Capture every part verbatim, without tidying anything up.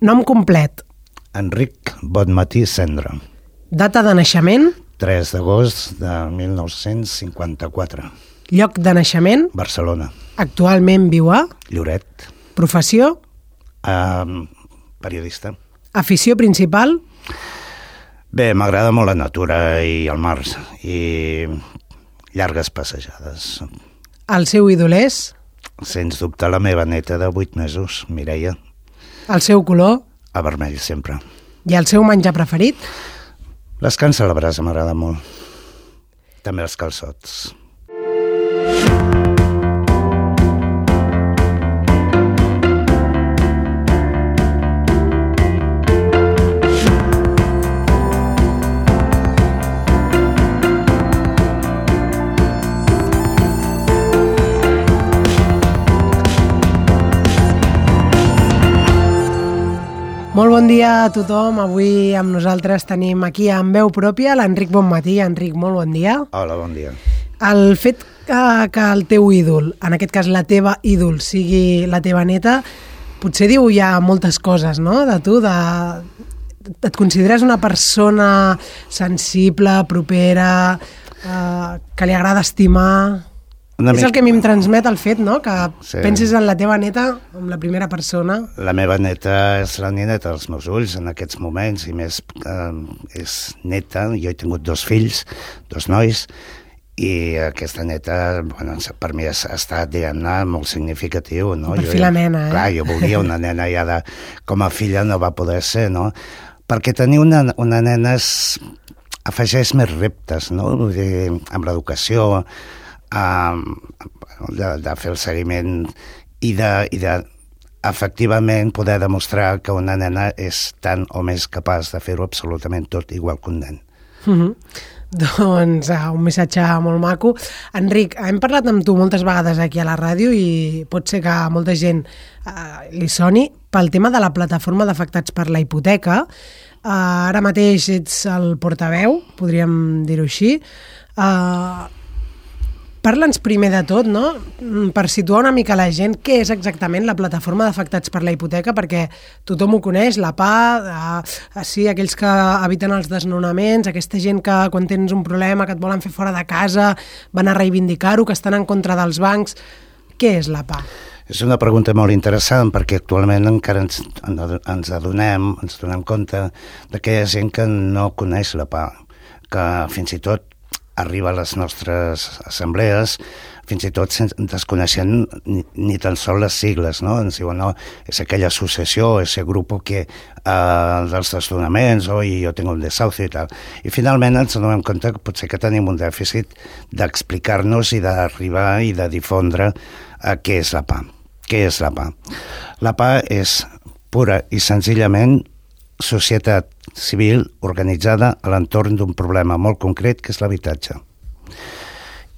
Nom complet. Enric Bonmatí Cendra. Data de naixement. tres d'agost de mil nou-cents cinquanta-quatre. Lloc de naixement. Barcelona. Actualment viu a... Lloret. Professió. Uh, periodista. Afició principal. Bé, m'agrada molt la natura i el mar i llargues passejades. El seu ídol és? Sens dubte la meva neta de vuit mesos, Mireia. El seu color? A vermell, sempre. I el seu menjar preferit? Les cans a la brasa m'agrada molt. També els calçots. Molt bon dia a tothom. Avui amb nosaltres tenim aquí amb veu pròpia l'Enric Bonmatí. Enric, molt bon dia. Hola, bon dia. El fet que, que el teu ídol, en aquest cas la teva ídol, sigui la teva neta, potser diu ja moltes coses, no?, de tu, de... Et consideres una persona sensible, propera, eh, que li agrada estimar... Una és mica... el que a mi em transmet el fet, no?, que sí. Pensis en la teva neta com la primera persona. La meva neta és la nineta dels meus ulls en aquests moments, i més eh, és neta. Jo he tingut dos fills, dos nois, i aquesta neta, bueno, per mi ha estat, diguem-ne, molt significatiu, no? Per fi la nena, eh? Clar, jo volia una nena ja de... Com a filla no va poder ser, no? Perquè tenir una, una nena es, afegeix més reptes, no? Vull dir, amb l'educació... Uh, de, de fer el seguiment i de, i de efectivament poder demostrar que una nena és tan o més capaç de fer-ho absolutament tot igual que un nen. Mm-hmm. Doncs uh, un missatge molt maco. Enric, hem parlat amb tu moltes vegades aquí a la ràdio i pot ser que a molta gent uh, li soni pel tema de la plataforma d'afectats per la hipoteca. Uh, ara mateix ets el portaveu, podríem dir-ho així. Uh, Parla'ns primer de tot, no?, per situar una mica la gent, què és exactament la plataforma d'afectats per la hipoteca, perquè tothom ho coneix, la P A, eh, sí, aquells que eviten els desnonaments, aquesta gent que quan tens un problema que et volen fer fora de casa van a reivindicar-ho, que estan en contra dels bancs. Què és la P A? És una pregunta molt interessant perquè actualment encara ens, ens adonem, ens donem compte de que hi ha gent que no coneix la P A, que fins i tot arriba a les nostres assemblees fins i tot sense, desconeixent ni, ni tan sols les sigles, no? Ens diuen, no, és aquella associació, ese grup que eh, dels desnonaments, o i jo tinc un desahucio i tal. I finalment ens donem compte que potser que tenim un dèficit d'explicar-nos i d'arribar i de difondre eh, què és la P A. Què és la P A? La P A és pura i senzillament societat civil organitzada a l'entorn d'un problema molt concret, que és l'habitatge.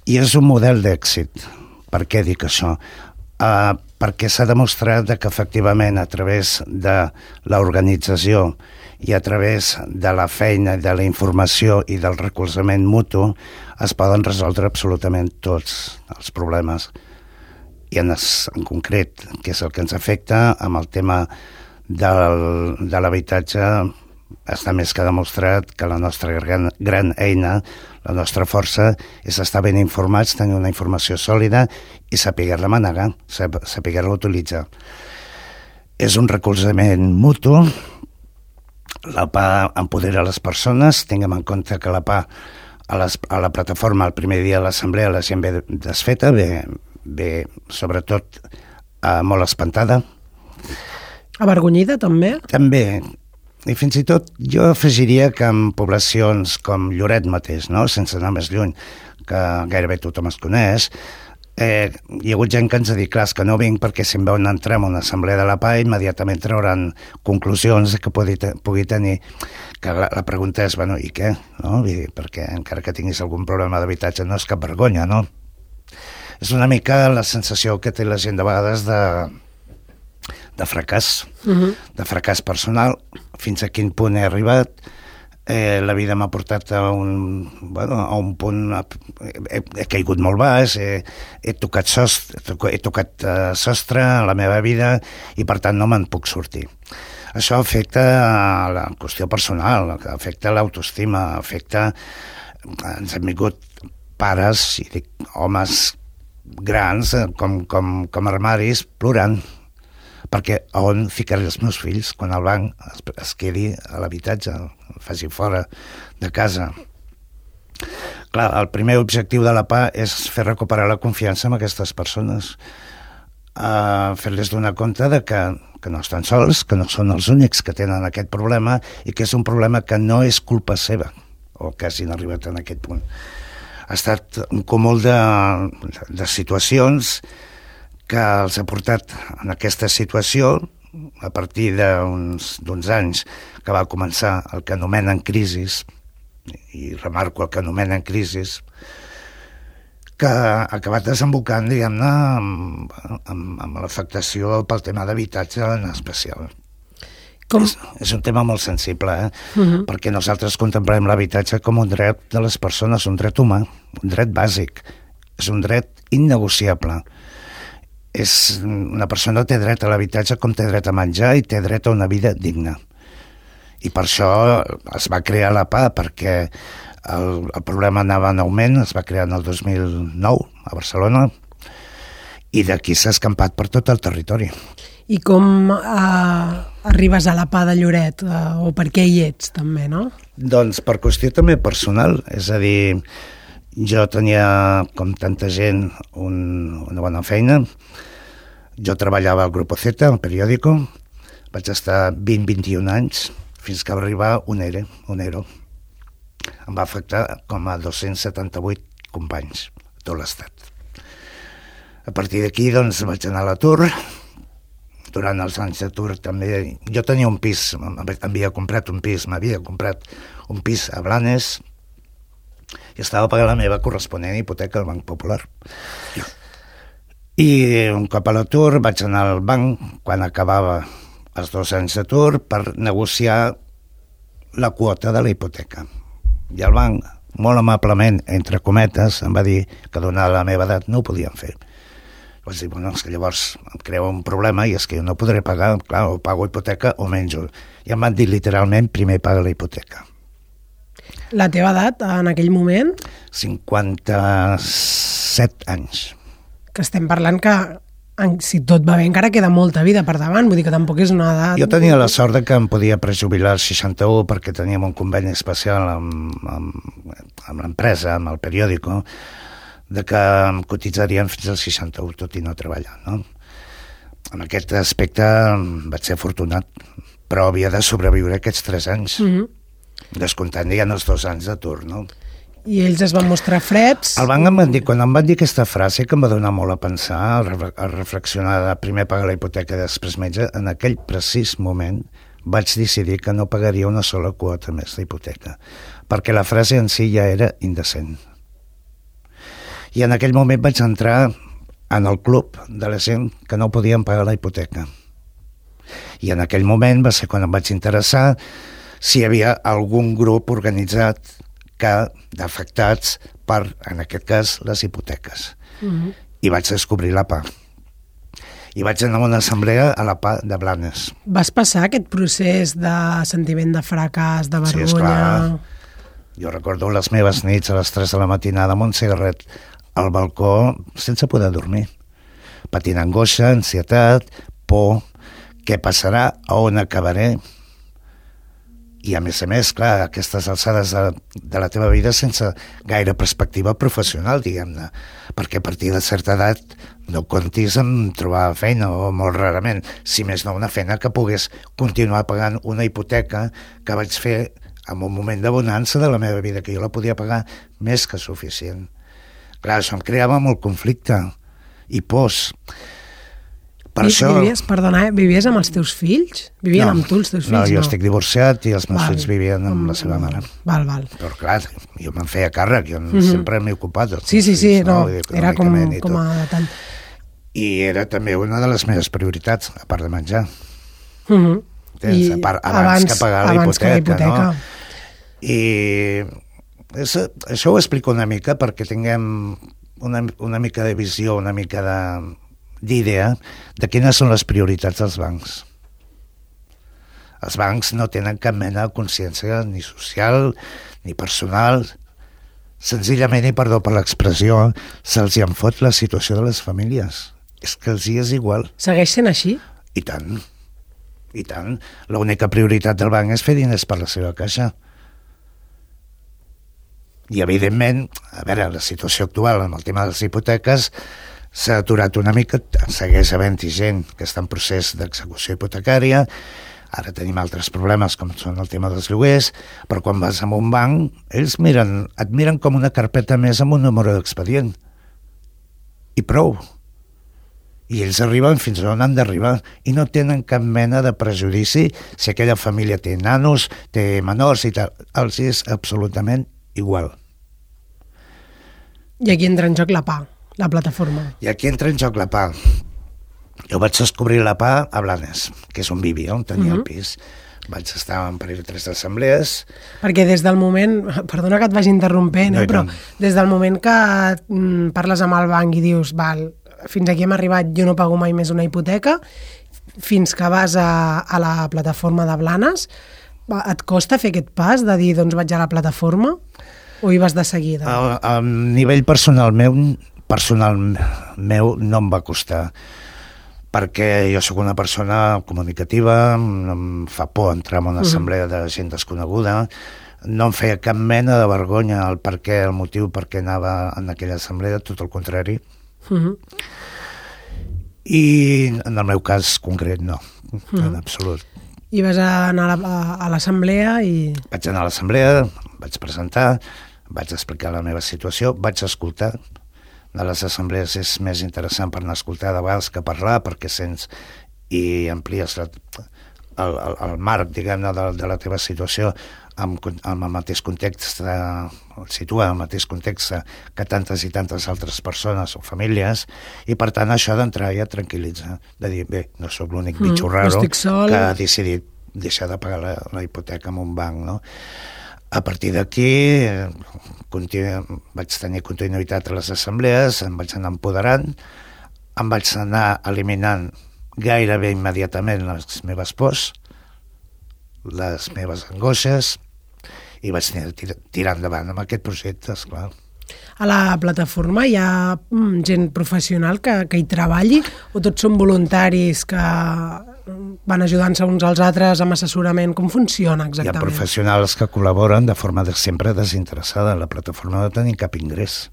I és un model d'èxit. Per què dic això? Uh, perquè s'ha demostrat que efectivament a través de l'organització i a través de la feina, de la informació i del recolzament mutu es poden resoldre absolutament tots els problemes. I en, es, en concret, que és el que ens afecta amb el tema del, de l'habitatge, està més que demostrat que la nostra gran, gran eina, la nostra força, és estar ben informats, tenir una informació sòlida i saber-la manegar, saber-la utilitzar. És un recolzament mutu, la P A empodera les persones, tinguem en compte que la P A a, les, a la plataforma el primer dia de l'assemblea la gent ve desfeta, ve, ve sobretot eh, molt espantada. Avergonyida, també? També. I fins i tot jo afegiria que en poblacions com Lloret mateix, no?, sense anar més lluny, que gairebé tothom es coneix, eh, hi ha hagut gent que ens ha dit, clar, que no vinc perquè si em veuen entrar en una assemblea de la P A immediatament trauran conclusions que pugui, te pugui tenir. Que la, la pregunta és, bueno, i què? No? Vull dir, perquè encara que tinguis algun problema d'habitatge no és cap vergonya, no? És una mica la sensació que té la gent de vegades de... de fracàs, uh-huh. de fracàs personal, fins a quin punt he arribat, eh, la vida m'ha portat a un, bueno, a un punt, he, he caigut molt baix, he, he tocat sostre, he tocat uh, sostre a la meva vida i per tant no me'n puc sortir. això afecta la qüestió personal, afecta l'autoestima, afecta... Ens han vingut pares, i dic, homes grans, com, com, com armaris, plorant, perquè on ficaré els meus fills quan el banc es, es quedi a l'habitatge, el faci fora de casa. Clar, el primer objectiu de la P A és fer recuperar la confiança en aquestes persones, uh, fer-les donar compte de que, que no estan sols, que no són els únics que tenen aquest problema i que és un problema que no és culpa seva, o que hagin arribat en aquest punt. Ha estat un cúmul de, de situacions que els ha portat en aquesta situació a partir d'uns d'uns anys que va començar el que anomenen crisis, i remarco el que anomenen crisis, que ha acabat desembocant, diguem-ne, amb, amb, amb l'afectació pel tema d'habitatge en especial. Com? És, és un tema molt sensible, eh? Uh-huh. Perquè nosaltres contemplem l'habitatge com un dret de les persones, un dret humà, un dret bàsic, és un dret innegociable. És, una persona té dret a l'habitatge com té dret a menjar i té dret a una vida digna. I per això es va crear la P A, perquè el, el problema anava en augment, es va crear en el dos mil nou a Barcelona, i d'aquí s'ha escampat per tot el territori. I com eh, arribes a la P A de Lloret? Eh, o per què hi ets, també, no? Doncs per qüestió també personal. És a dir, jo tenia, com tanta gent, un, una bona feina. Jo treballava al Grupo Z, al periòdico. Vaig estar vint a vint i un anys, fins que va arribar un ERE, un ERO. Em va afectar com a dos-cents setanta-vuit companys a tot l'estat. A partir d'aquí, doncs, vaig anar a l'atur. Durant els anys d'atur també... Jo tenia un pis, m'havia comprat un pis, m'havia comprat un pis a Blanes i estava pagant la meva corresponent hipoteca al Banc Popular. I un cop a l'atur vaig anar al banc quan acabava els dos anys d'atur per negociar la quota de la hipoteca. I el banc, molt amablement, entre cometes, em va dir que donada la meva edat no ho podien fer. Vaig dir, bueno, és que llavors em creu un problema i és que jo no podré pagar, clar, o pago hipoteca o menjo. I em van dir literalment, primer paga la hipoteca. La teva edat en aquell moment? cinquanta-set anys. Que estem parlant que, si tot va bé, encara queda molta vida per davant, vull dir que tampoc és una edat... Jo tenia la sort de que em podia prejubilar als seixanta-u perquè teníem un conveni especial amb, amb, amb l'empresa, amb el periòdico, de que em cotitzarien fins als seixanta-u, tot i no treballar, no? En aquest aspecte vaig ser afortunat, però havia de sobreviure aquests tres anys, mm-hmm. descomptant ja els dos anys d'atur, no? I ells es van mostrar freds? El banc em van dir, quan em van dir aquesta frase, que em va donar molt a pensar, a reflexionar de primer pagar la hipoteca i després menja, en aquell precís moment vaig decidir que no pagaria una sola quota més d'hipoteca, perquè la frase en si ja era indecent. I en aquell moment vaig entrar en el club de la gent que no podien pagar la hipoteca. I en aquell moment va ser quan em vaig interessar si hi havia algun grup organitzat que d'afectats per, en aquest cas, les hipoteques. Mm-hmm. I vaig descobrir la P A. I vaig anar a una assemblea a la P A de Blanes. Vas passar aquest procés de sentiment de fracàs, de vergonya? Sí, esclar. Jo recordo les meves nits a les tres de la matinada amb un cigarret al balcó sense poder dormir, patint angoixa, ansietat, por, què passarà, a on acabaré, i a més a més, clar, aquestes alçades de, de la teva vida sense gaire perspectiva professional, diguem-ne, perquè a partir de certa edat no comptis en trobar feina, o molt rarament, si més no una feina que pogués continuar pagant una hipoteca que vaig fer en un moment de bonança de la meva vida, que jo la podia pagar més que suficient. Clar, això em creava molt conflicte i pors. Per I, això... Vivies, perdona, eh? Vivies amb els teus fills? Vivien no, amb tu els teus fills? No, jo no? estic divorciat i els meus val. fills vivien amb la seva mare. Val, val. Però clar, jo me'n feia càrrec, jo mm-hmm. sempre m'he ocupat dels sí, sí, fills, sí, no, no? Era com, com a detall. I era també una de les meves prioritats, a part de menjar. Mm-hmm. Tens, I a part, abans, abans que pagar la hipoteca, la hipoteca, no? I és, això ho explico una mica perquè tinguem una, una mica de visió, una mica de, d'idea de quines són les prioritats dels bancs. Els bancs no tenen cap mena de consciència ni social ni personal. Senzillament, i perdó per l'expressió, se'ls hi en fot la situació de les famílies. És que els hi és igual. Segueix sent així? I tant. I tant. L'única prioritat del banc és fer diners per la seva caixa. I, evidentment, a veure, la situació actual amb el tema de les hipoteques s'ha aturat una mica, segueix havent-hi gent que està en procés d'execució hipotecària, ara tenim altres problemes com són el tema dels lloguers, però quan vas a un banc, ells miren, et miren com una carpeta més amb un número d'expedient. I prou. I ells arriben fins on han d'arribar i no tenen cap mena de prejudici si aquella família té nanos, té menors i tal. Els és absolutament igual. I aquí entra en joc la P A, la plataforma. I aquí entra en joc la P A. Jo vaig descobrir la P A a Blanes, que és on vivia, on tenia uh-huh. el pis. Vaig estar en parell o tres assemblees. Perquè des del moment, perdona que et vagi interrompent, no, eh, però no. des del moment que mm, parles amb el banc i dius, val, fins aquí hem arribat, jo no pago mai més una hipoteca, fins que vas a, a la plataforma de Blanes, et costa fer aquest pas de dir, doncs vaig a la plataforma, o hi vas de seguida? A, a nivell personal meu, personal meu no em va costar, perquè jo sóc una persona comunicativa, em fa por entrar en una assemblea de gent desconeguda, no em feia cap mena de vergonya el per què, el motiu per què anava en aquella assemblea, tot el contrari. Uh-huh. I en el meu cas concret no, uh-huh. en absolut. I vas anar a l'assemblea i... Vaig anar a l'assemblea, vaig presentar, vaig explicar la meva situació, vaig escoltar. De les assemblees és més interessant per anar a escoltar de vegades que parlar, perquè sents i amplies la, el, el, el marc, diguem-ne, de, de la teva situació amb, amb el mateix context, el situa en el mateix context que tantes i tantes altres persones o famílies, i per tant això d'entrar ja tranquil·litza, de dir, bé, no sóc l'únic mm, bitxo raro que ha decidit deixar de pagar la, la hipoteca en un banc, no? A partir d'aquí continu... vaig tenir continuïtat a les assemblees, em vaig anar empoderant, em vaig anar eliminant gairebé immediatament les meves pors, les meves angoixes, i vaig tirar, tirar endavant amb aquest projecte, esclar. A la plataforma hi ha gent professional que, que hi treballi, o tots són voluntaris que van ajudant-se uns als altres amb assessorament? Com funciona exactament? Hi ha professionals que col·laboren de forma de sempre desinteressada. La plataforma no tenim cap ingrés,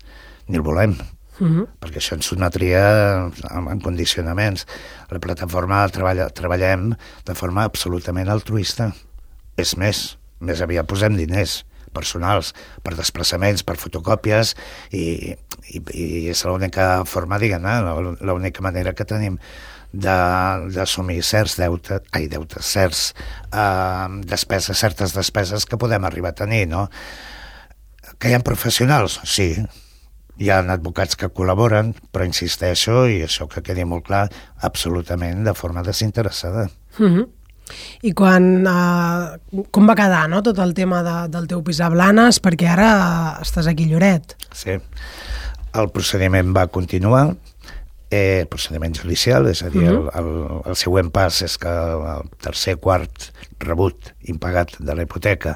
ni el volem, uh-huh. perquè això ens sotmetria en condicionaments. A la plataforma treballa, treballem de forma absolutament altruista. És més, més aviat posem diners personals per desplaçaments, per fotocòpies, i, i, i és l'única forma, diguem-ne, l'única manera que tenim d'assumir certs deutes, ai, deutes, certs eh, despeses, certes despeses que podem arribar a tenir, no? Que hi ha professionals? Sí. Hi ha advocats que col·laboren, però insisteixo, i això que quedi molt clar, absolutament de forma desinteressada. Mm-hmm. I quan, eh, com va quedar, no?, tot el tema de, del teu pis a Blanes, perquè ara estàs aquí a Lloret. Sí. El procediment va continuar, eh, procediment judicial, és a dir, uh-huh. el, el, el següent pas és que el tercer quart rebut impagat de la hipoteca,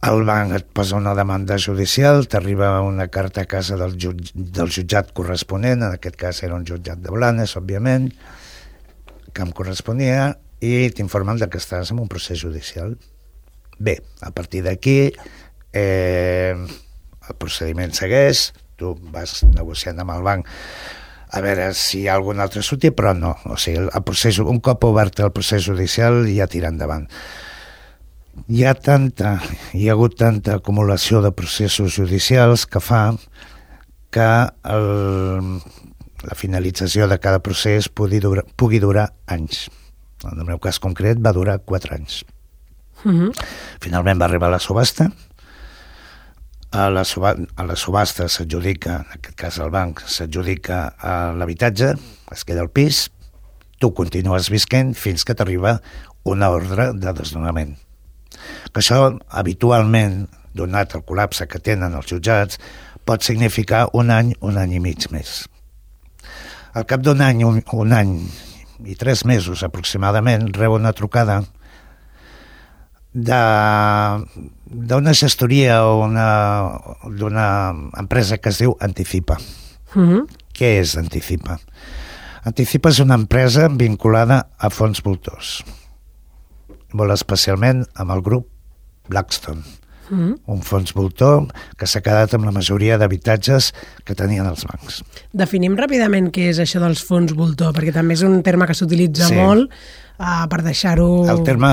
el banc et posa una demanda judicial, t'arriba una carta a casa del, jutj, del jutjat corresponent, en aquest cas era un jutjat de Blanes, òbviament, que em corresponia, i t'informen que estàs en un procés judicial. Bé, a partir d'aquí eh, el procediment segueix, tu vas negociant amb el banc a veure si hi ha algun altre sortir, però no, o sigui, el procés, un cop obert el procés judicial ja tira endavant. Hi ha tanta, hi ha hagut tanta acumulació de processos judicials que fa que el, la finalització de cada procés pugui durar, pugui durar anys. En el meu cas concret va durar quatre anys. Uh-huh. Finalment va arribar a la subhasta. A la, suba, a la subhasta s'adjudica, en aquest cas el banc, s'adjudica a l'habitatge, es queda al pis, tu continues visquent fins que t'arriba una ordre de desnonament. Que això, habitualment, donat el col·lapse que tenen els jutjats, pot significar un any, un any i mig més. Al cap d'un any, un, un any i tres mesos aproximadament, rebo una trucada d'una gestoria o d'una empresa que es diu Anticipa. Mm-hmm. Què és Anticipa? Anticipa és una empresa vinculada a fons voltors, molt especialment amb el grup Blackstone, mm-hmm. un fons voltor que s'ha quedat amb la majoria d'habitatges que tenien els bancs. Definim ràpidament què és això dels fons voltor, perquè també és un terme que s'utilitza sí. molt uh, per deixar-ho... El terme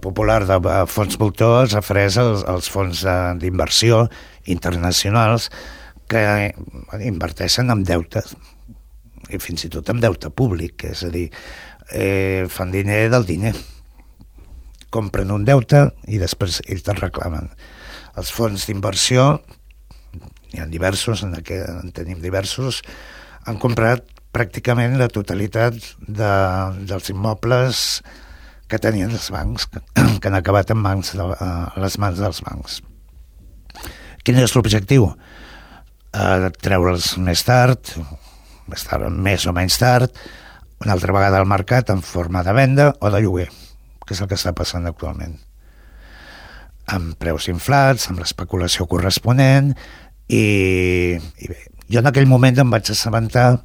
popular de fons voltor es refereix als, als fons d'inversió internacionals que inverteixen en deute, i fins i tot en deute públic, és a dir, eh, fan diner del diner. Compren un deute i després ells te'l reclamen. Els fons d'inversió, n'hi ha diversos, en, aquest, en tenim diversos, han comprat pràcticament la totalitat de, dels immobles que tenien els bancs, que, que han acabat en mans de, a les mans dels bancs. Quin és l'objectiu? Uh, treure'ls més tard, més tard, més o menys tard, una altra vegada al mercat en forma de venda o de lloguer, que és el que està passant actualment. Amb preus inflats, amb l'especulació corresponent, i, i bé, jo en aquell moment em vaig assabentar,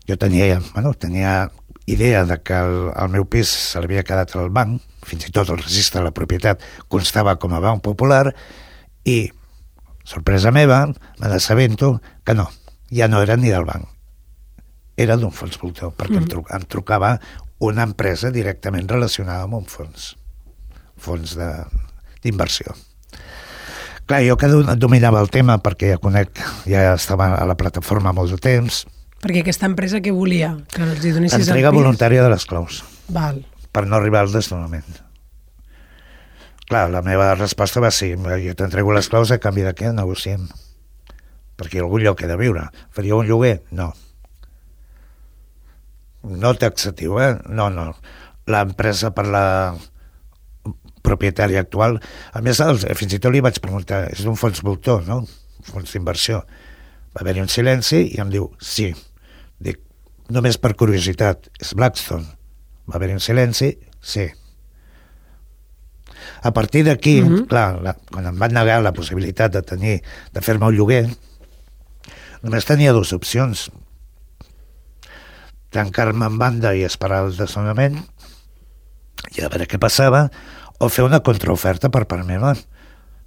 jo tenia, bueno, tenia idea de que el, el meu pis se l'havia quedat al banc, fins i tot el registre de la propietat constava com a banc popular, i sorpresa meva, me n'assabento que no, ja no era ni del banc, era d'un fons voltor, perquè mm. em, tru em trucava una empresa directament relacionada amb un fons, fons d'inversió. Clar, jo que dominava el tema, perquè ja conec, ja estava a la plataforma molt de temps. Perquè aquesta empresa què volia? Que els hi donessis entrega voluntària de les claus. Val. Per no arribar al desnonament. Clar, la meva resposta va ser, jo t'entrego les claus a canvi de què negociem. Perquè algun lloc he de viure. Faria un lloguer? No. No taxatiu, eh? No, no. L'empresa per la propietària actual, a més, fins i tot li vaig preguntar, és un fons voltor, no? Fons d'inversió. Va haver-hi un silenci i em diu, sí. Dic, només per curiositat, és Blackstone. Va haver-hi un silenci, sí. A partir d'aquí, mm-hmm. clar, la, quan em van negar la possibilitat de tenir, de fer-me un lloguer, només tenia dues opcions. Tancar-me en banda i esperar el desnonament i a veure què passava, o fer una contraoferta per part meva.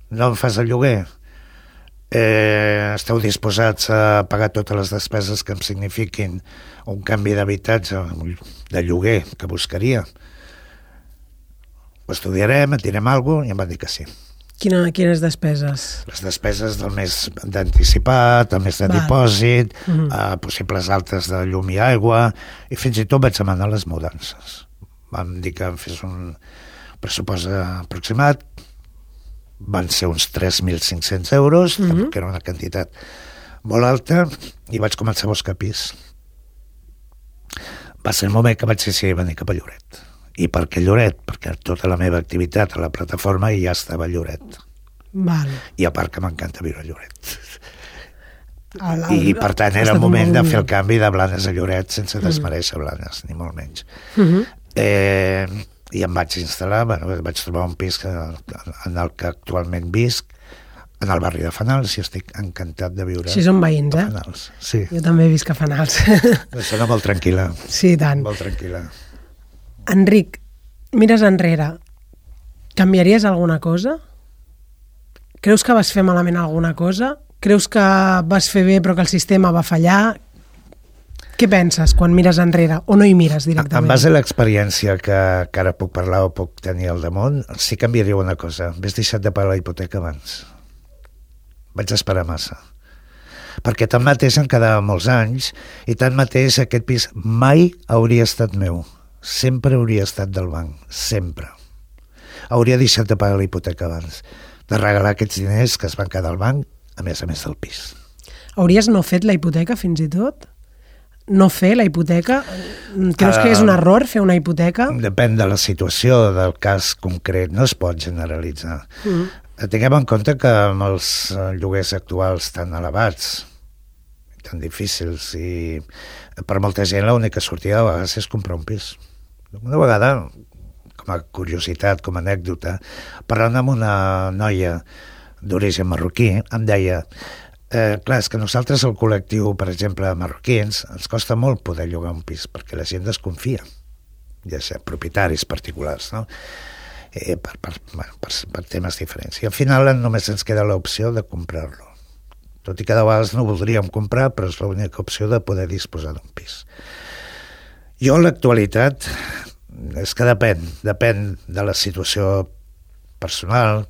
No em fas el lloguer, eh, esteu disposats a pagar totes les despeses que em signifiquin un canvi d'habitatge, de lloguer que buscaria. Ho estudiarem, et direm alguna cosa, i em van dir que sí. Quina, quines despeses? Les despeses del mes d'anticipat, el mes de Val. dipòsit, mm-hmm. eh, possibles altes de llum i aigua, i fins i tot vaig demanar les mudances. Vam dir que em fes un pressupost aproximat, van ser uns tres mil cinc-cents euros, mm-hmm. que era una quantitat molt alta, i vaig començar a buscar pis. Va ser el moment que vaig decidir venir cap a Lloret. I per què Lloret? Perquè tota la meva activitat a la plataforma ja estava a Lloret. Val. I a part que m'encanta viure a Lloret. El, el, I per tant era el moment de fer el canvi de Blanes a Lloret sense desmereixer Blanes, ni molt menys. Mm-hmm. eh, I em vaig instal·lar, bueno, vaig trobar un pis que, en el que actualment visc, en el barri de Fanals, i estic encantat de viure. Així són veïns, eh? Fanals. Sí. Jo també visc a Fanals. Sona molt tranquil·la. Sí, tant. Molt tranquil·la. Enric, mires enrere, canviaries alguna cosa? Creus que vas fer malament alguna cosa? Creus que vas fer bé però que el sistema va fallar? Què penses quan mires enrere o no hi mires directament? En base a l'experiència que, que ara puc parlar o puc tenir al damunt, sí canviaria una cosa. M'has deixat de pagar la hipoteca abans. Vaig esperar massa. Perquè tanmateix em quedava molts anys i tanmateix aquest pis mai hauria estat meu. Sempre hauria estat del banc, sempre. Hauria deixat de pagar la hipoteca abans, de regalar aquests diners que es van quedar al banc, a més a més del pis. Hauries no fet la hipoteca fins i tot? No fer la hipoteca? Creus uh, que és un error fer una hipoteca? Depèn de la situació, del cas concret, no es pot generalitzar. Mm. Tinguem en compte que amb els lloguers actuals tan elevats, tan difícils, i per molta gent l'única sortida a vegades és comprar un pis. Una vegada, com a curiositat, com a anècdota, parlant amb una noia d'origen marroquí, em deia, eh, clar, és que nosaltres, el col·lectiu, per exemple, marroquins, ens costa molt poder llogar un pis, perquè la gent desconfia, ja sé, propietaris particulars, no? Eh, per, per, bueno, per, per temes diferents. I al final només ens queda l'opció de comprar-lo. Tot i que de vegades no voldríem comprar, però és l'única opció de poder disposar d'un pis. Jo, en l'actualitat, és que depèn, depèn de la situació personal,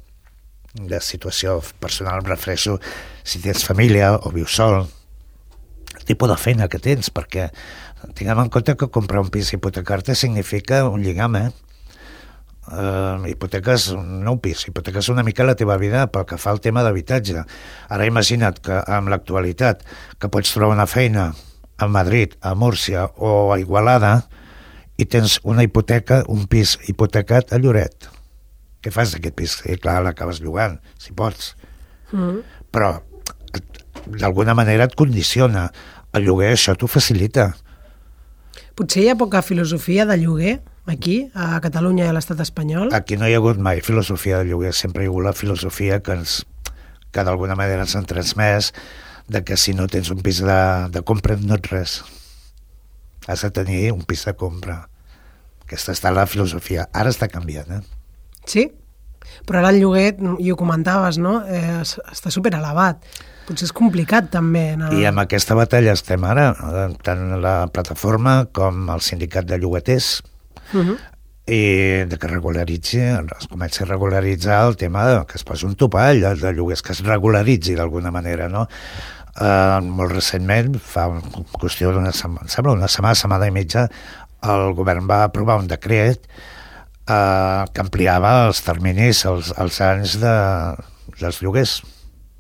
de la situació personal, em refereixo si tens família o vius sol, el tipus de feina que tens, perquè tinguem en compte que comprar un pis i hipotecar-te significa un lligam, eh? Uh, hipoteques, no un pis, hipoteques una mica la teva vida pel que fa al tema d'habitatge. Ara imagina't que amb l'actualitat que pots trobar una feina a Madrid, a Múrcia o a Igualada i tens una hipoteca, un pis hipotecat a Lloret. Què fas d'aquest pis? I clar, l'acabes llogant, si pots. Mm. Però d'alguna manera et condiciona. El lloguer això t'ho facilita. Potser hi ha poca filosofia de lloguer aquí, a Catalunya i a l'estat espanyol? Aquí no hi ha hagut mai filosofia de lloguer, sempre hi ha hagut la filosofia que, ens, que d'alguna manera ens han transmès de que si no tens un pis de, de compra no ets res. Has de tenir un pis de compra. Aquesta està la filosofia. Ara està canviant, eh? Sí? Però ara el lloguer, i ho comentaves, no? Eh, està superelevat. Potser és complicat també. No? I amb aquesta batalla estem ara, tant la plataforma com el sindicat de llogaters, uh-huh. i de que regularitzi, es comença a regularitzar el tema de que es posi un topall de, de lloguers, que es regularitzi d'alguna manera, no? Uh, molt recentment, fa una qüestió d'una setmana, sembla una setmana, setmana i mitja, el govern va aprovar un decret uh, que ampliava els terminis, els, els anys de, dels lloguers.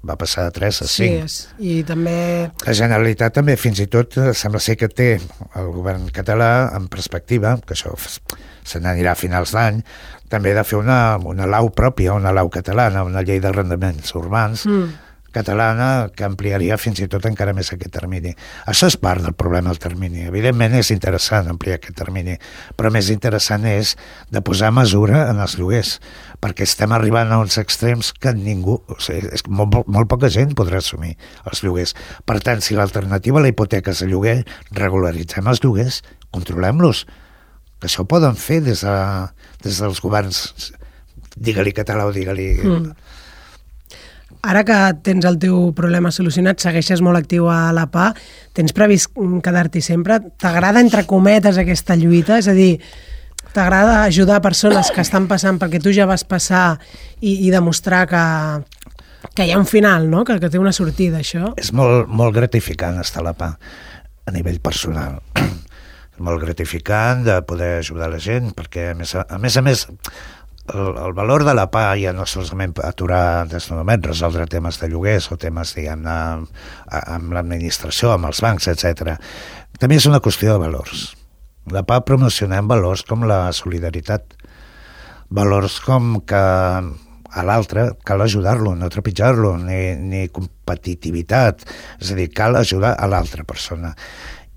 Va passar de tres a cinc. Sí, i també... La Generalitat també, fins i tot, sembla ser que té el govern català en perspectiva, que això se n'anirà a finals d'any, també de fer una, una lau pròpia, una lau catalana, una llei d'arrendaments urbans mm. catalana que ampliaria fins i tot encara més aquest termini. Això és part del problema del termini. Evidentment és interessant ampliar aquest termini, però més interessant és de posar mesura en els lloguers, perquè estem arribant a uns extrems que ningú, o sigui, és molt, molt poca gent podrà assumir els lloguers. Per tant, si l'alternativa a la hipoteca és el lloguer, regularitzem els lloguers, controlem-los, que això ho poden fer des, de, des dels governs, digue-li català o digue-li... Mm. Ara que tens el teu problema solucionat, segueixes molt actiu a la P A, tens previst quedar-t'hi sempre? T'agrada, entre cometes, aquesta lluita? És a dir, t'agrada ajudar persones que estan passant perquè tu ja vas passar i, i demostrar que, que hi ha un final, no? que, que té una sortida, això? És molt, molt gratificant estar a la P A a nivell personal. És molt gratificant de poder ajudar la gent, perquè a més a, a més, a més el, el valor de la P A ja no solament aturar desnonaments, resoldre temes de lloguers o temes, diguem-ne, amb l'administració, amb els bancs, etcètera. També és una qüestió de valors. La P A promocionem valors com la solidaritat, valors com que a l'altre cal ajudar-lo, no trepitjar-lo, ni, ni competitivitat, és a dir, cal ajudar a l'altra persona.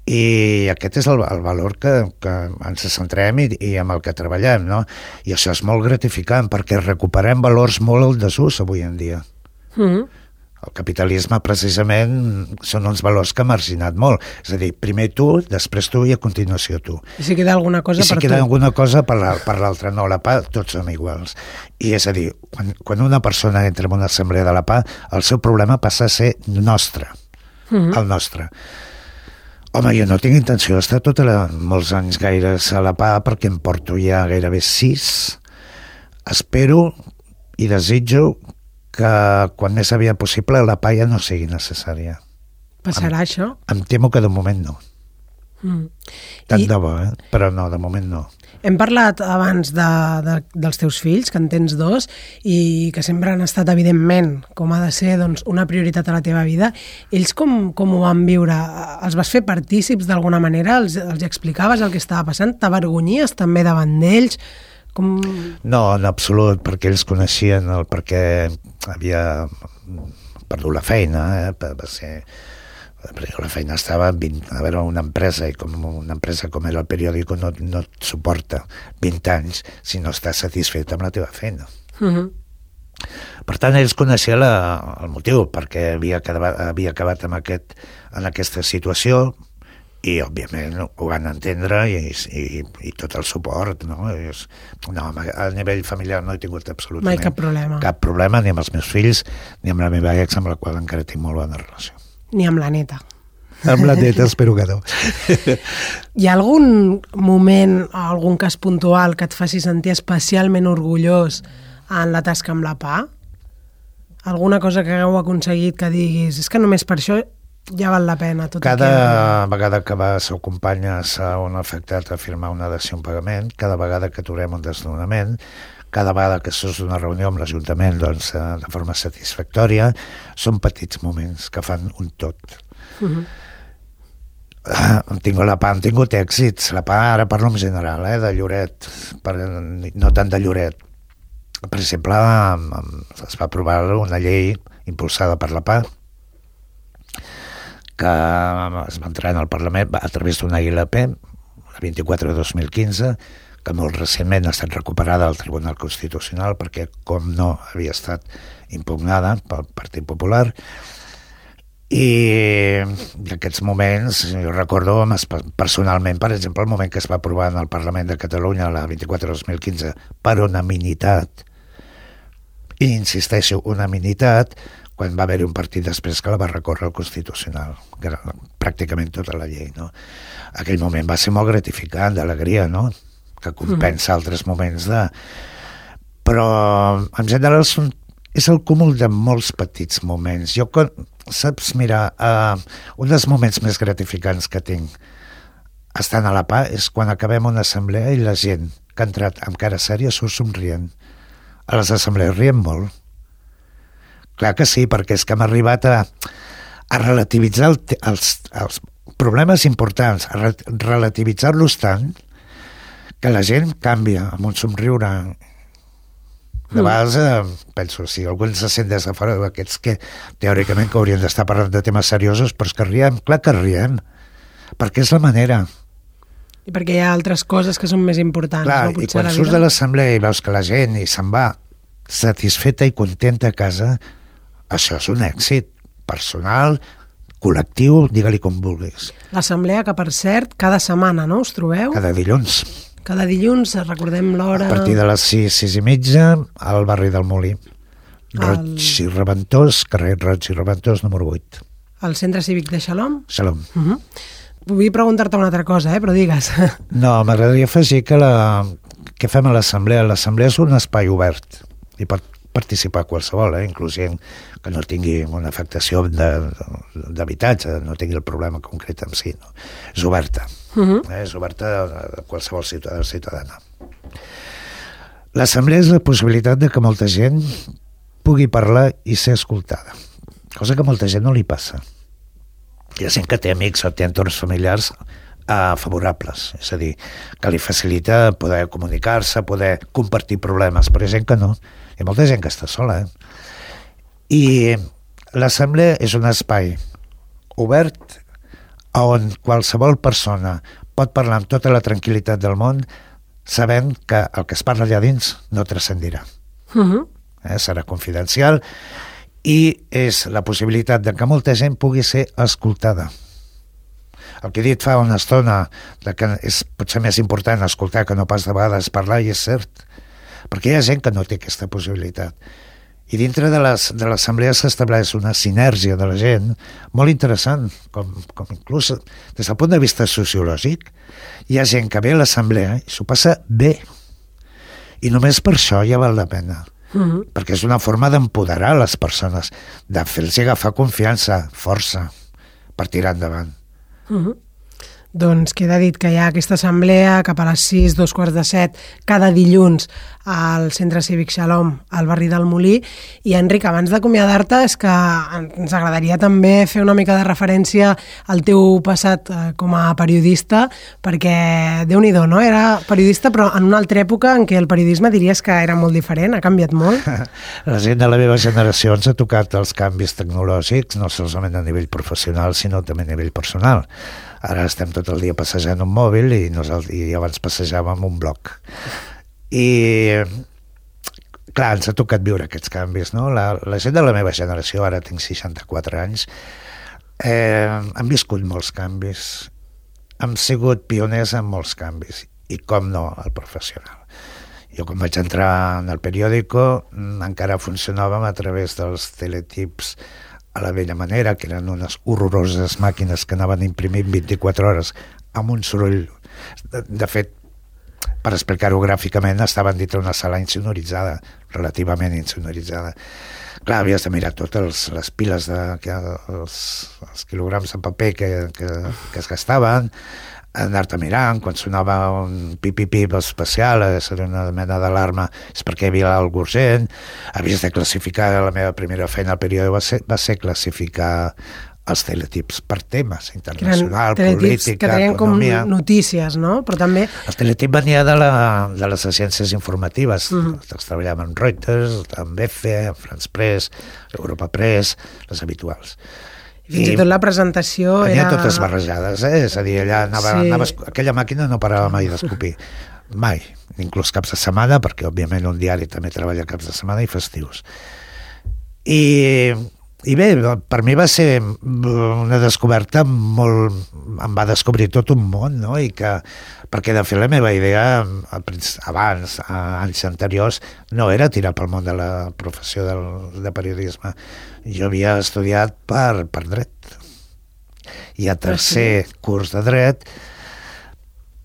I aquest és el, el valor que, que ens centrem i, i amb el que treballem, no? I això és molt gratificant perquè recuperem valors molt al desús avui en dia. Mm-hmm. El capitalisme, precisament, són uns valors que ha marginat molt. És a dir, primer tu, després tu i a continuació tu. I si queda alguna cosa I si per queda tu. alguna cosa per l'altra. No, la P A, tots som iguals. I és a dir, quan, quan una persona entra en una assemblea de la P A, el seu problema passa a ser nostre. Mm-hmm. El nostre. Home, jo no tinc intenció d'estar tota la, molts anys gaires a la P A perquè em porto ja gairebé sis. Espero i desitjo que quan més aviat possible la P A ja no sigui necessària. Passarà em, això? Em temo que de moment no. Mm. Tant I... de bo, eh? Però no, de moment no. Hem parlat abans de, de, dels teus fills, que en tens dos, i que sempre han estat, evidentment, com ha de ser, doncs, una prioritat a la teva vida. Ells com, com ho van viure? Els vas fer partícips d'alguna manera? Els, els explicaves el que estava passant? T'avergonyies també davant d'ells? Com... No, en absolut, perquè ells coneixien el perquè havia perdut la feina, eh? Va ser la feina estava vint, a veure, una empresa, i com una empresa com era el periòdico no, no et suporta vint anys si no estàs satisfet amb la teva feina. Uh-huh. Per tant, ells coneixien la, el motiu perquè havia acabat, havia acabat amb aquest, en aquesta situació, i òbviament ho van entendre i, i, i tot el suport, no? És, no, a nivell familiar no he tingut absolutament mai cap problema. cap problema, ni amb els meus fills ni amb la meva ex, amb la qual encara tinc molt bona relació. Ni amb la neta. Amb la neta espero que no. Hi ha algun moment, algun cas puntual que et faci sentir especialment orgullós en la tasca amb la P A? Alguna cosa que hagueu aconseguit que diguis és que només per això ja val la pena. Tot cada que... vegada que vas o acompanyes a un afectat a firmar una dació en pagament, cada vegada que aturem un desnonament, cada vegada que surts d'una reunió amb l'Ajuntament doncs, de forma satisfactòria, són petits moments que fan un tot. Uh-huh. Ah, tinc, la P A han tingut èxits. La P A, ara parlo en general, eh, de Lloret, per, no tant de Lloret. Per exemple, es va aprovar una llei impulsada per la P A que es va entrar en el Parlament a través d'una I L P, la vint-i-quatre de dos mil quinze, que molt recentment ha estat recuperada al Tribunal Constitucional perquè, com no, havia estat impugnada pel Partit Popular. I en aquests moments, jo recordo personalment, per exemple, el moment que es va aprovar en el Parlament de Catalunya, la vint-i-quatre de dos mil quinze, per unanimitat, i insisteixo, unanimitat, quan va haver-hi un partit després que la va recórrer al Constitucional, que era pràcticament tota la llei, no? Aquell moment va ser molt gratificant, d'alegria, no? Que compensa mm. altres moments de... Però, en general, són... és el cúmul de molts petits moments. Jo, saps, mira, uh, un dels moments més gratificants que tinc estant a la P A és quan acabem una assemblea i la gent que ha entrat amb cara sèria surt somrient. A les assemblees riem molt. Clar que sí, perquè és que hem arribat a, a relativitzar el, els, els problemes importants, a re, relativitzar-los tant que la gent canvia amb un somriure. De vegades eh, penso, si algú se sent des de fora d'aquests que teòricament que haurien d'estar parlant de temes seriosos, però és que riem, clar que riem, perquè és la manera. I perquè hi ha altres coses que són més importants. Clar, no? I quan surts de l'assemblea i veus que la gent i se'n va satisfeta i contenta a casa, això és un èxit personal, col·lectiu, digue-li com vulguis. L'assemblea, que per cert, cada setmana, no? Us trobeu? Cada dilluns. Cada dilluns, recordem l'hora... A partir de les sis, sis i mitja, al barri del Molí. Roig el... i Reventós, carrer Roig i Reventós, número vuit. Al Centre Cívic de Xalom? Xalom. Uh-huh. Vull preguntar-te una altra cosa, eh? Però digues. No, m'agradaria afegir que la... què fem a l'assemblea? L'assemblea és un espai obert i pot participar qualsevol, eh? Inclús gent que no tingui una afectació d'habitatge, no tingui el problema concret en si. No? És oberta. Uh-huh. eh? És oberta a qualsevol ciutadà o ciutadana. L'assemblea és la possibilitat de que molta gent pugui parlar i ser escoltada, cosa que a molta gent no li passa. Hi ha gent que té amics o té entorns familiars Uh, favorables, és a dir, que li facilita poder comunicar-se, poder compartir problemes, però hi ha gent que no. Hi ha molta gent que està sola. Eh? I l'assemblea és un espai obert on qualsevol persona pot parlar amb tota la tranquil·litat del món sabent que el que es parla allà dins no transcendirà. Uh-huh. Eh? Serà confidencial i és la possibilitat de que molta gent pugui ser escoltada. El que he dit fa una estona de que és potser més important escoltar que no pas de vegades parlar, i és cert, perquè hi ha gent que no té aquesta possibilitat. I dintre de l'assemblea s'estableix una sinergia de la gent molt interessant, com, com inclús des del punt de vista sociològic. Hi ha gent que ve a l'assemblea i s'ho passa bé. I només per això ja val la pena. Uh-huh. Perquè és una forma d'empoderar les persones, de fer-los agafar confiança, força, per tirar endavant. Uh-huh. doncs queda dit que hi ha aquesta assemblea cap a les sis, dos quarts de set, cada dilluns al Centre Cívic Shalom, al barri del Molí. I Enric, abans d'acomiadar-te, és que ens agradaria també fer una mica de referència al teu passat com a periodista, perquè Déu-n'hi-do, no? Era periodista però en una altra època en què el periodisme diries que era molt diferent, ha canviat molt. La gent de la meva generació ens ha tocat els canvis tecnològics, no solament a nivell professional, sinó també a nivell personal. Ara estem tot el dia passejant un mòbil i, nosaltres, i abans passejàvem un blog. I, clar, ens ha tocat viure aquests canvis, no? La, la gent de la meva generació, ara tinc seixanta-quatre anys, eh, han viscut molts canvis, hem sigut pioners en molts canvis, i com no, el professional. Jo quan vaig entrar en el periòdico encara funcionàvem a través dels teletips a la vella manera, que eren unes horroroses màquines que anaven imprimint vint-i-quatre hores amb un soroll. De, de fet, per explicar-ho gràficament, estaven dintre una sala insonoritzada, relativament insonoritzada. Clar, havies de mirar totes les piles, de, que, els, els quilograms de paper que, que, que es gastaven, anar-te mirant, quan sonava un pip-pip especial, era una mena d'alarma, és perquè hi havia alguna urgent. Havies de classificar, la meva primera feina al període va ser, va ser classificar els teletips per temes, internacional, política, que tenien economia. Com notícies, no? Però també... El teletip venia de, la, de les agències informatives. Mm. Els treballaven amb Reuters, amb E F E, amb France Press, Europa Press, les habituals. Fins i tot la presentació era... era... totes barrejades, eh? És a dir, allà anava, sí. anava, aquella màquina no parava mai d'escopir. Mai. Inclús caps de setmana, perquè òbviament un diari també treballa caps de setmana i festius. I, i bé, per mi va ser una descoberta molt... em va descobrir tot un món, no? I que, perquè de fet la meva idea abans, anys anteriors, no era tirar pel món de la professió del, de periodisme. Jo havia estudiat per, per dret. I a tercer sí. curs de dret,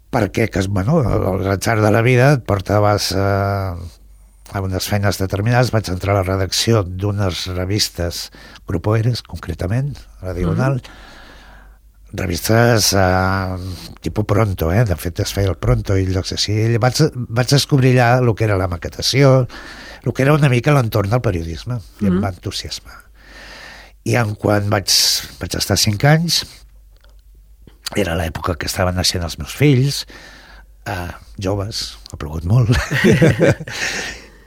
perquè que, bueno, l'atzar de la vida et portaves a, a unes feines determinades. Vaig entrar a la redacció d'unes revistes, Grupo Eres, concretament, a la Diagonal, mm-hmm. revistes uh, tipus Pronto, eh? De fet es feia el Pronto i llocs així. Vaig, vaig descobrir allà el que era la maquetació, el que era una mica l'entorn del periodisme, i mm-hmm. em va entusiasmar. I en quan vaig, vaig estar cinc anys, era l'època que estaven naixent els meus fills, uh, joves, ha plogut molt,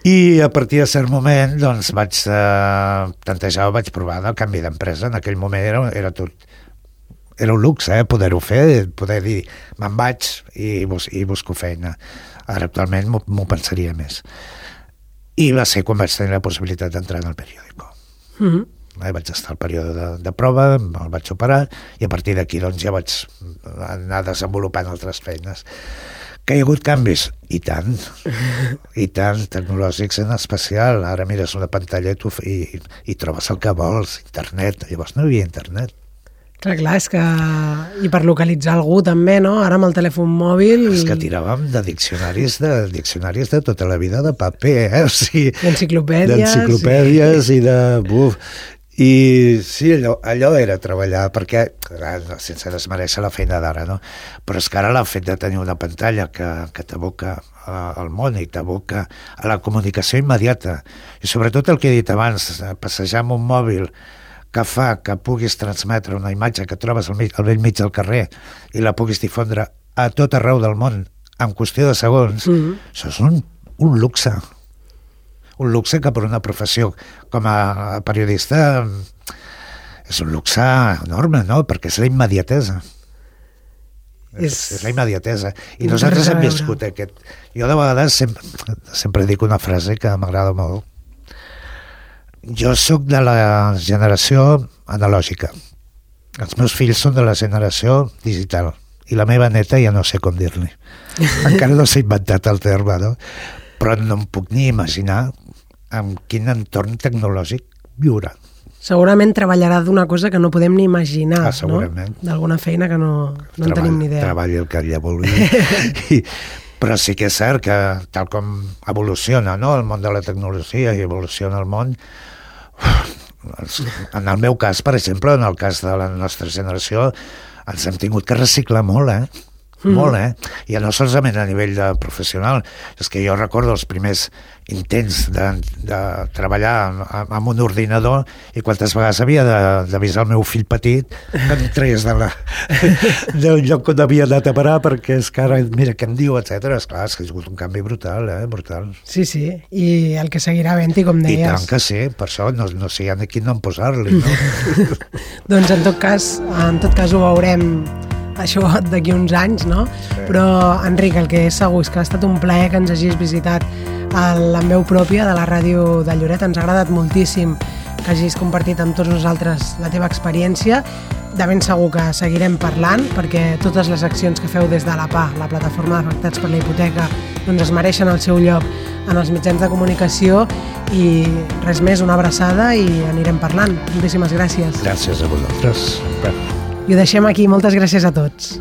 i a partir de cert moment doncs vaig uh, plantejar, vaig provar el canvi d'empresa. En aquell moment era, era tot, era un luxe, eh, poder-ho fer, poder dir, me'n vaig i, bus, i busco feina. Ara actualment m'ho pensaria més. I va ser quan vaig tenir la possibilitat d'entrar en el periòdico. Mm-hmm. Eh, vaig estar al període de, de prova, el vaig superar, i a partir d'aquí doncs, ja vaig anar desenvolupant altres feines. Que hi ha hagut canvis? I tant, i tant, tecnològics en especial. Ara mires una pantalla i, i, i trobes el que vols, internet. Llavors no hi havia internet. Clar, clar, és que... I per localitzar algú també, no? Ara amb el telèfon mòbil... És que tiràvem de diccionaris de diccionaris de tota la vida de paper, eh? O sigui, d'enciclopèdies. D'enciclopèdies i, i de... Buf. I sí, allò, allò era treballar, perquè, sense desmereixer la feina d'ara, no? Però és que ara el fet de tenir una pantalla que, que t'aboca al món i t'aboca a la comunicació immediata, i sobretot el que he dit abans, passejar amb un mòbil que fa que puguis transmetre una imatge que trobes al, mig, al vell mig del carrer i la puguis difondre a tot arreu del món en qüestió de segons, mm-hmm. això és un, un luxe. Un luxe que per una professió com a periodista és un luxe enorme, no? Perquè és la immediatesa. És, és la immediatesa. I nosaltres hem viscut aquest... Jo de vegades sempre, sempre dic una frase que m'agrada molt. Jo sóc de la generació analògica. Els meus fills són de la generació digital. I la meva neta ja no sé com dir-li. Encara no s'ha inventat el terme, no? Però no em puc ni imaginar en quin entorn tecnològic viurà. Segurament treballarà d'una cosa que no podem ni imaginar, ah, segurament. No? D'alguna feina que no, no Treball, en tenim ni idea. Treballi el que ella vulgui. I, però sí que és cert que tal com evoluciona, no? El món de la tecnologia i evoluciona el món, en el meu cas, per exemple, en el cas de la nostra generació, ens hem tingut que reciclar molt, eh? Mm. Molt, eh? I no solament a nivell de professional, és que jo recordo els primers intents de, de treballar amb, amb un ordinador i quantes vegades havia d'avisar el meu fill petit que em traies de la, del lloc on havia anat a parar perquè és que ara, mira què em diu, etcètera. Esclar, és que ha sigut un canvi brutal, eh? Brutal. Sí, sí, i el que seguirà havent-hi, com deies. I tant que sí, per això no, no sé aquí no en posar-li, no? Doncs en tot cas, en tot cas ho veurem això d'aquí uns anys, no? Sí. Però, Enric, el que és segur és que ha estat un plaer que ens hagis visitat a la veu pròpia de la ràdio de Lloret. Ens ha agradat moltíssim que hagis compartit amb tots nosaltres la teva experiència. De ben segur que seguirem parlant, perquè totes les accions que feu des de la P A, la Plataforma d'Afectats per la Hipoteca, doncs es mereixen el seu lloc en els mitjans de comunicació. I res més, una abraçada i anirem parlant. Moltíssimes gràcies. Gràcies a vosaltres. I ho deixem aquí. Moltes gràcies a tots.